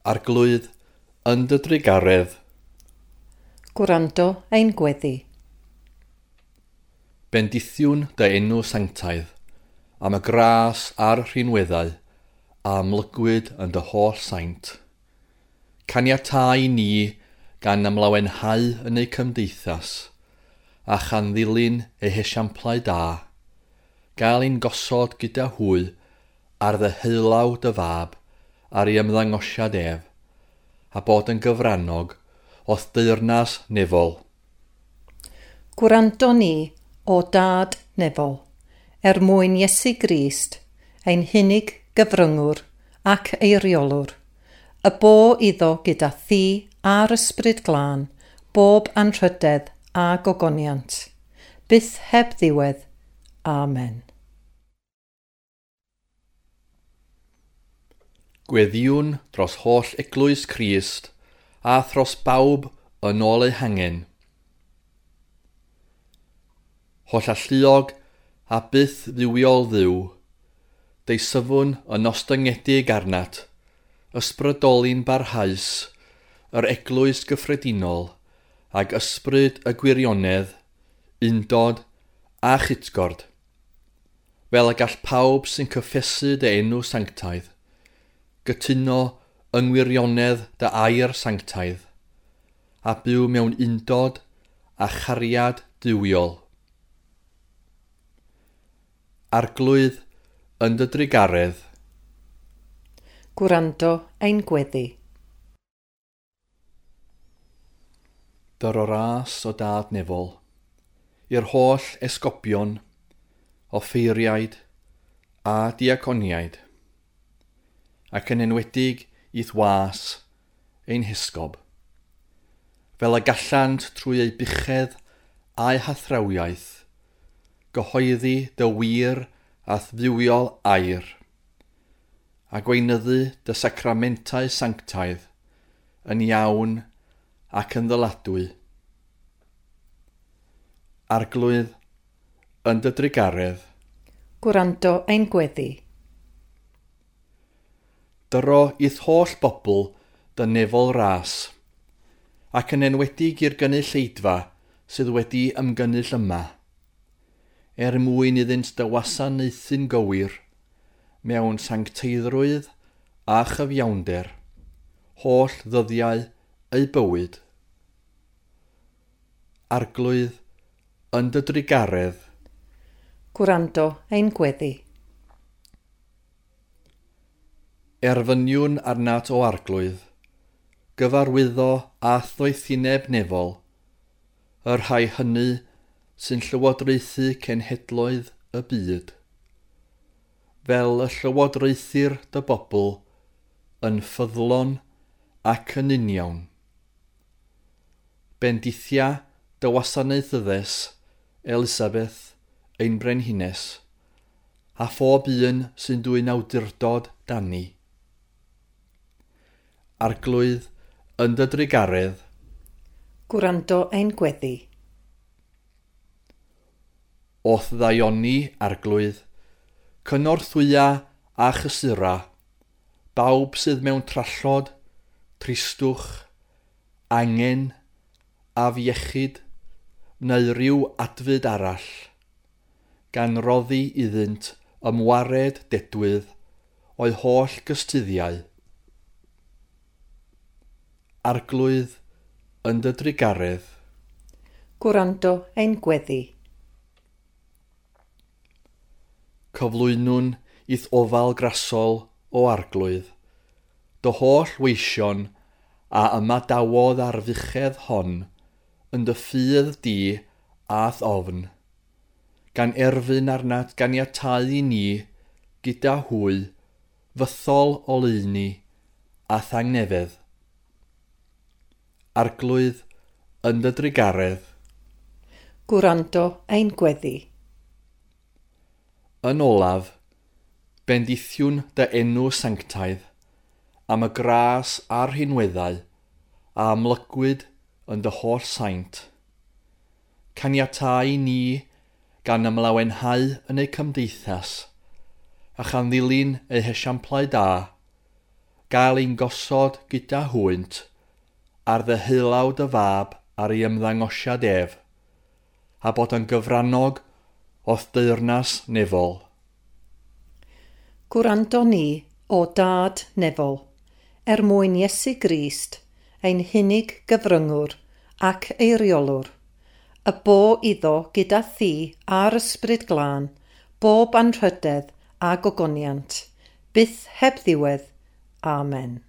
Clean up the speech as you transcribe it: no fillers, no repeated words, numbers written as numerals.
Arglwydd, yn dy drugaredd. Gwrando ein gweddi. Bendithiwn dy enw sanctaidd, am y gras a'r rhinweddau a amlygwyd yn dy holl saint. Caniatau ni gan ymlawenhau yn eu cymdeithas, a chan ddilyn eu hesiamplau da, gael ein gosod gyda hwy ar ddeheulaw dy fab ar ei ymddangosiad ef, a bod yn gyfrannog o'th deyrnas nefol. Gwrando ni, o Dad nefol, er mwyn Iesu Grist, ein hunig gyfryngwr ac eiriolwr, y bo iddo gyda thi a'r ysbryd glân, bob anrhydedd a gogoniant, byth heb ddiwedd. Amen. Gweddïwn dros holl eglwys Crist a thros bawb yn ôl eu hangen. Holl alluog a byth dduwiol Dduw, deisyfwn yn ostyngedig arnat, ysbrydoli'n barhaus, yr eglwys gyffredinol, ag ysbryd y gwirionedd, undod a chytgord, fel y gall pawb sy'n cyffesu dy enw sanctaidd, gytuno yng ngwirionedd dy air sanctaidd, a byw mewn undod a chariad duwiol. Arglwydd, yn dy drugaredd. Gwrando ein gweddi. Dyro ras o Dad nefol, i'r holl esgobion, offeiriaid a diaconiaid, ac yn enwedig i'th was ein hesgob, fel y gallant trwy eu buchedd a'u hathrawiaeth, gyhoeddi dy wir a'th dduwiol air, a gweinyddu dy sacramentau sanctaidd yn iawn ac yn ddyladwy. Arglwydd, yn dy drugaredd. Gwrando ein gweddi. Dyro i'th holl bobl dy nefol ras, ac yn enwedig i'r gynulleidfa sydd wedi ymgynnull yma, er mwyn iddynt dy wasanaethu'n gywir mewn sancteiddrwydd a chyfiawnder, holl ddyddiau eu bywyd. Arglwydd, yn dy drugaredd. Gwrando ein gweddi. Erfyniwn arnat o Arglwydd, gyfarwyddo a ddoethineb nefol, y rhai hynny sy'n llywodraethu cenhedloedd y byd, fel y llywodraethir dy bobl yn ffyddlon ac yn uniawn. Bendithia dy wasanaethyddes, Elisabeth, ein brenhines, a phob un sy'n dwyn awdurdod dani. Arglwydd, yn dy drugaredd. Gwrando ein gweddi. O'th ddaioni, Arglwydd, cynorthwya a chysura, bawb sydd mewn trallod, tristwch, angen, afiechyd, neu ryw adfyd arall, gan roddi iddynt ymwared dedwydd o'u holl gystuddiau. Arglwydd, yn dy drugaredd. Gwrando ein gweddi. Cyflwynwn i'th ofal grasol o Arglwydd, dy holl weision a ymadawodd ar fuchedd hon yn dy ffydd di a'th ofn, gan erfyn arnat ganiatáu i ni, gyda hwy, fythol oleuni a thangnefedd. Arglwydd, yn dy drugaredd. Gwrando ein gweddi. Yn olaf, bendithiwn dy enw sanctaidd, am y gras a'r rhinweddau a amlygwyd yn dy holl saint. Caniatáu ni gan ymlawenhau yn eu cymdeithas, a chan ddilyn eu hesiamplau da, gael ein gosod gyda hwynt ar ddeheulaw dy fab ar ei ymddangosiad ef, a bod yn gyfrannog o'th deyrnas nefol. Gwrando ni, o Dad nefol, er mwyn Iesu Grist, ein hunig gyfryngwr ac eiriolwr, y bo iddo gyda thi a'r Ysbryd Glân, bob anrhydedd a gogoniant, byth heb ddiwedd. Amen.